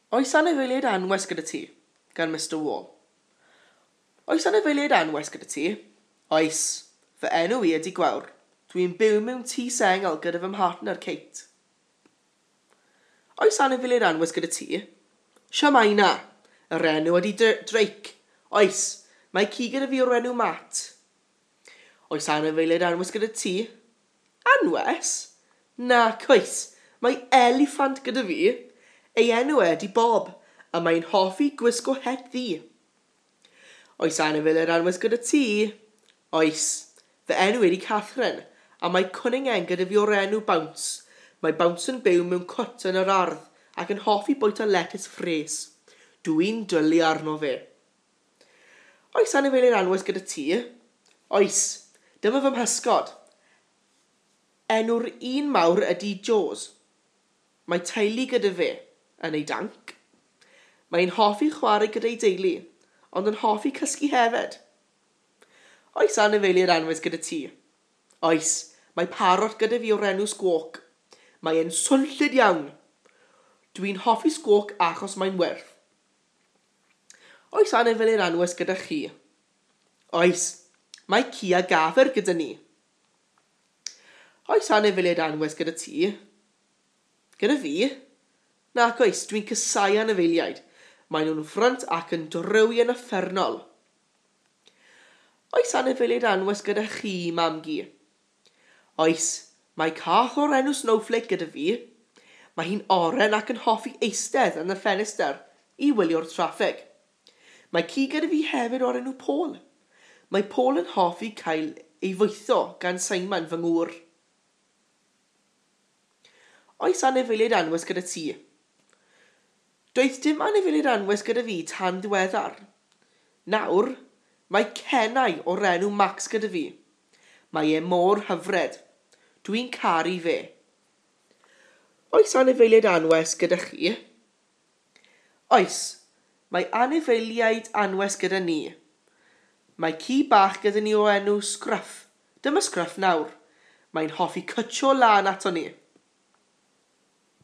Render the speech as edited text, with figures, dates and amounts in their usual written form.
Oes anifeiliaid anwes gyda ti? Gan Mr Wall. Oes anifeiliaid anwes gyda ti? Oes. Fy enw i ydy Gwawr. Dwi'n byw mewn tŷ sengl gyda fy mhartner Kate. Oes anifeiliaid anwes gyda ti? Shwmae 'na. Yr enw ydy Drake. Oes. Mae ci gyda fi o'r enw Matt. Oes anifeiliaid anwes gyda ti? Anwes? Nac oes. Mae eliffant gyda fi. Ei enw e ydy Bob, a mae'n hoffi gwisgo het ddu. Oes anifeiliaid anwes gyda ti? Oes. Fy enw i ydy Catherine, a mae cwningen gyda fi o'r enw Bounce. Mae Bounce yn byw mewn cwt yn yr ardd ac yn hoffi bwyta letys ffres. Dw i'n dwlu arno fe. Oes anifeiliaid anwes gyda ti? Oes. Dyma fy mhysgod. Enw'r un mawr ydy Jaws. Mae teulu gyda fe yn ei danc. Mae'n hoffi chwarae gyda'i deulu, ond yn hoffi cysgu hefyd. Oes anifeiliaid anwes gyda ti? Oes, mae parot gyda fi o'r enw Squawk. Mae e'n swnllyd iawn. Dwi'n hoffi Squawk achos mae'n wyrdd. Oes anifeiliaid anwes gyda chi? Oes, mae ci a gafr gyda ni. Oes anifeiliaid anwes gyda ti? Gyda fi? Nac oes, dwi'n casáu anifeiliaid. Maen nhw'n frwnt ac yn drewi yn uffernol. Oes anifeiliaid anwes gyda chi, mam-gu? Oes, mae cath o'r enw Snowflake gyda fi. Mae hi'n oren ac yn hoffi eistedd yn y ffenestr i wylio'r traffig. Mae ci gyda fi hefyd o'r enw Paul. Mae Paul yn hoffi cael ei fwytho gan Simon fy ngŵr. Oes anifeiliaid anwes gyda ti? Doedd dim anifeiliaid anwes gyda fi tan ddiweddar. Nawr, mae cenau o'r enw Max gyda fi. Mae e mor hyfryd. Dwi'n caru fe. Oes anifeiliaid anwes gyda chi? Oes, mae anifeiliaid anwes gyda ni. Mae ci bach gyda ni o enw Scruff. Dyma Scruff nawr. Mae'n hoffi cwtsio lan ato ni.